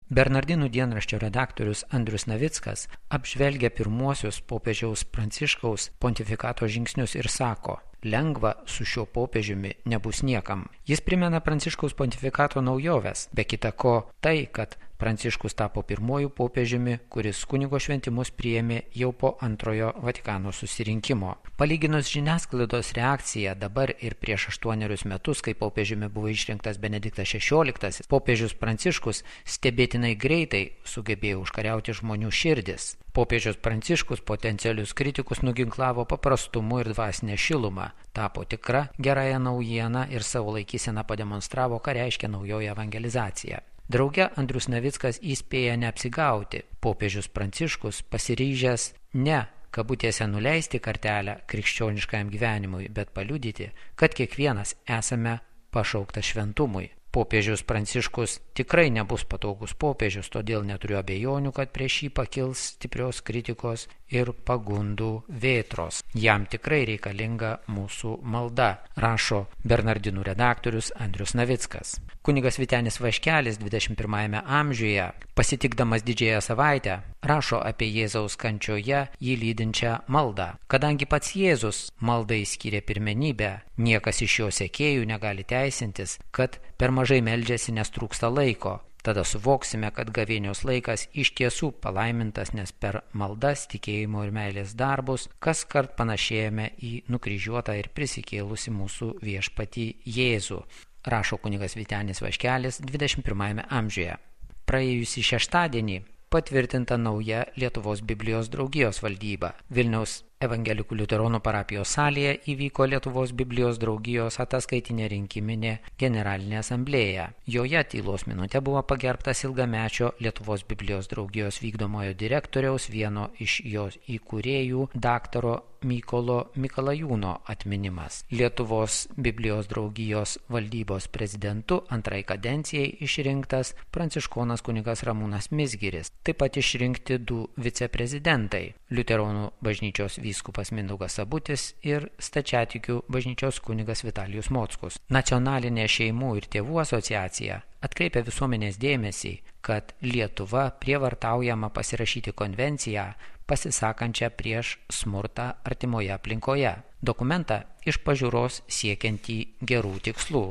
Bernardinų dienraščio redaktorius Andrius Navickas apžvelgia pirmuosius popiežiaus Pranciškaus pontifikato žingsnius ir sako: lengva su šiuo popiežiumi nebus niekam. Jis primena Pranciškaus pontifikato naujoves, be kita ko tai, kad Pranciškus tapo pirmuoju popiežiumi, kuris kunigo šventimus priėmė jau po antrojo Vatikano susirinkimo. Palyginus žiniasklaidos reakciją dabar ir prieš 8 metus, kai popiežiumi buvo išrinktas Benediktas XVI, popiežius Pranciškus stebėtinai greitai sugebėjo užkariauti žmonių širdis. Popiežius Pranciškus potencialius kritikus nuginklavo paprastumu ir dvasinę šilumą, tapo tikra gerąją naujieną ir savo laikyseną pademonstravo, ką reiškia naujoji evangelizacija. Drauge Andrius Navickas įspėja neapsigauti. Popiežius Pranciškus pasiryžęs ne kabutėse nuleisti kartelę krikščioniškajam gyvenimui, bet paliudyti, kad kiekvienas esame pašauktas šventumui. Popiežius Pranciškus tikrai nebus patogus popiežius, todėl neturiu abejonių, kad prieš jį pakils stiprios kritikos ir pagundų vėtros. Jam tikrai reikalinga mūsų malda, rašo Bernardinų redaktorius Andrius Navickas. Kunigas Vytenis Vaškelis 21 amžiuje, pasitikdamas didžiąją savaitę, rašo apie Jėzaus kančioje jį lydinčią maldą. Kadangi pats Jėzus maldai skyrė pirmenybę, niekas iš jo sekėjų negali teisintis, kad per mažai meldžiasi, nes trūksta laiko. Tada suvoksime, kad gavėnios laikas iš tiesų palaimintas, nes per maldas, tikėjimo ir meilės darbus kaskart panašėjame į nukryžiuotą ir prisikėlusi mūsų viešpatį Jėzų, rašo kunigas Vytenis Vaškelis 21 amžiuje. Praėjusį šeštadienį patvirtinta nauja Lietuvos Biblijos draugijos valdyba. Vilniaus Evangelikų liuteronų parapijos salėje įvyko Lietuvos Biblijos draugijos ataskaitinė rinkiminė generalinė asamblėja. Joje tylos minutė buvo pagerbtas ilgamečio Lietuvos Biblijos draugijos vykdomojo direktoriaus, vieno iš jos įkūrėjų, daktaro Mykolo Mikalajūno atminimas. Lietuvos Biblijos draugijos valdybos prezidentu antrai kadencijai išrinktas pranciškonas kunigas Ramūnas Mizgiris. Taip pat išrinkti 2 viceprezidentai – Liuteronų bažnyčios vyskupas Mindaugas Sabutis ir Stačiatikių bažnyčios kunigas Vitalijus Mockus. Nacionalinė šeimų ir tėvų asociacija atkreipia visuomenės dėmesį, kad Lietuva prievartaujama pasirašyti konvenciją pasisakančią prieš smurtą artimoje aplinkoje. Dokumentą iš pažiūros siekiantį gerų tikslų.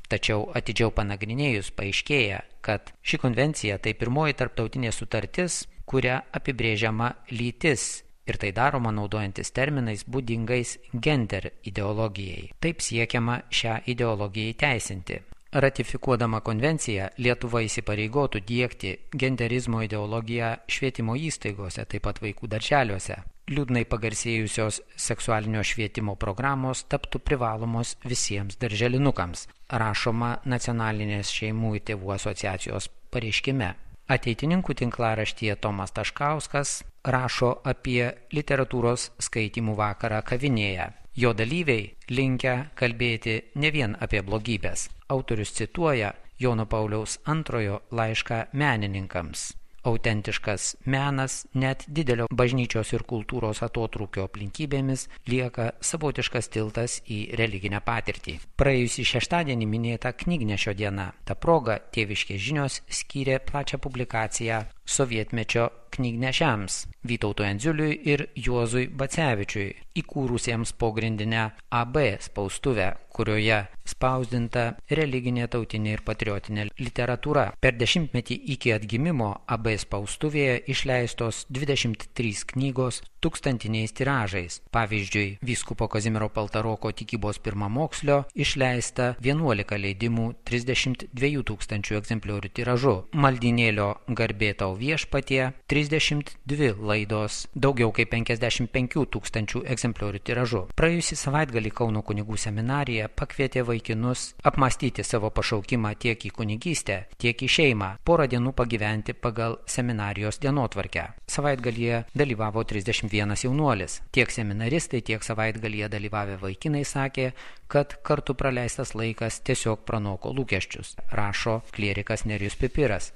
Tačiau atidžiau panagrinėjus paaiškėja, kad ši konvencija tai pirmoji tarptautinė sutartis, kuria apibrėžiama lytis, ir tai daroma naudojantis terminais būdingais gender ideologijai. Taip siekiama šią ideologiją įteisinti. Ratifikuodama konvenciją, Lietuva įsipareigotų diegti genderizmo ideologiją švietimo įstaigose, taip pat vaikų darželiuose. Liūdnai pagarsėjusios seksualinio švietimo programos taptų privalomos visiems darželinukams, rašoma Nacionalinės šeimų ir tėvų asociacijos pareiškime. Ateitininkų tinklaraštyje Tomas Taškauskas rašo apie literatūros skaitymų vakarą kavinėje. Jo dalyviai linkę kalbėti ne vien apie blogybės. Autorius cituoja Jono Pauliaus II laišką menininkams. Autentiškas menas net didelio bažnyčios ir kultūros atotrūkio aplinkybėmis lieka savotiškas tiltas į religinę patirtį. Praėjusį šeštadienį minėta Knygnešio diena. Ta proga Tėviškės žinios skyrė plačią publikaciją sovietmečio knygnešiams Vytautui Endziuliui ir Juozui Bacevičiui, įkūrusiems pogrindinę AB spaustuvę, kurioje spausdinta religinė, tautinė ir patriotinė literatūra. Per 10-metį iki atgimimo AB spaustuvėje išleistos 23 knygos tūkstantiniais tiražais. Pavyzdžiui, vyskupo Kazimiero Paltaroko tikybos pirmamokslio išleista 11 leidimų 32 000 egzempliorių tiražu. Maldynėlio Garbė tau viešpatie 32 laidos, daugiau kaip 55 000 egzempliorių tiražu. Praėjusį savaitgalį Kauno kunigų seminarija pakvietė vaikinus apmąstyti savo pašaukimą tiek į kunigystę, tiek į šeimą, porą dienų pagyventi pagal seminarijos dienotvarkę. Savaitgalyje dalyvavo 31 jaunuolis. Tiek seminaristai, tiek savaitgalyje dalyvavę vaikinai sakė, kad kartu praleistas laikas tiesiog pranoko lūkesčius, rašo klierikas Nerijus Pipiras.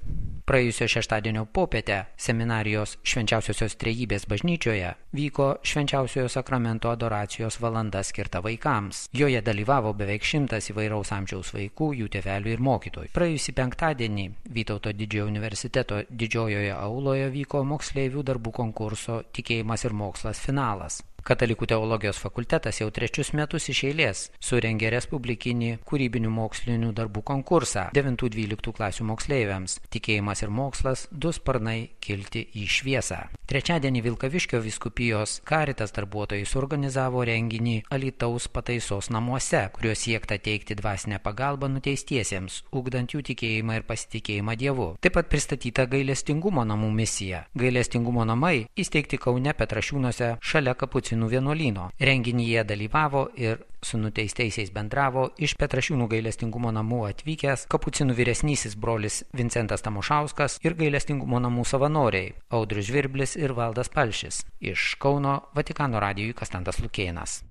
Praėjusio šeštadienio popietę seminarijos Švenčiausiosios Trejybės bažnyčioje vyko Švenčiausiojo sakramento adoracijos valanda skirta vaikams. Joje dalyvavo beveik 100 įvairaus amžiaus vaikų, jų tėvelių ir mokytojų. Praėjusį penktadienį Vytauto didžiojo universiteto didžiojoje auloje vyko moksleivių darbų konkurso Tikėjimas ir mokslas finalas. Katalikų teologijos fakultetas jau 3 metus iš eilės surengė respublikinį kūrybinių mokslinių darbų konkursą 9-12 klasių moksleiviams. Tikėjimas ir mokslas – 2 sparnai kilti į šviesą. Trečiadienį Vilkaviškio vyskupijos Caritas darbuotojai suorganizavo renginį Alytaus pataisos namuose, kuriuo siekta teikti dvasinę pagalbą nuteistiesiems, ugdant jų tikėjimą ir pasitikėjimą Dievu. Taip pat pristatyta gailestingumo namų misija. Gailestingumo namai įsteigti Kaune Petrašiūnuose šalia Kapucinų vienuolyno. Renginyje dalyvavo ir su nuteistaisiais bendravo iš Petrašiūnų gailestingumo namų atvykęs Kapucinų vyresnysis brolis Vincentas Tamošauskas ir gailestingumo namų savanoriai Audrius Žvirblis ir Valdas Palšis. Iš Kauno Vatikano radijui Konstantas Lukėnas.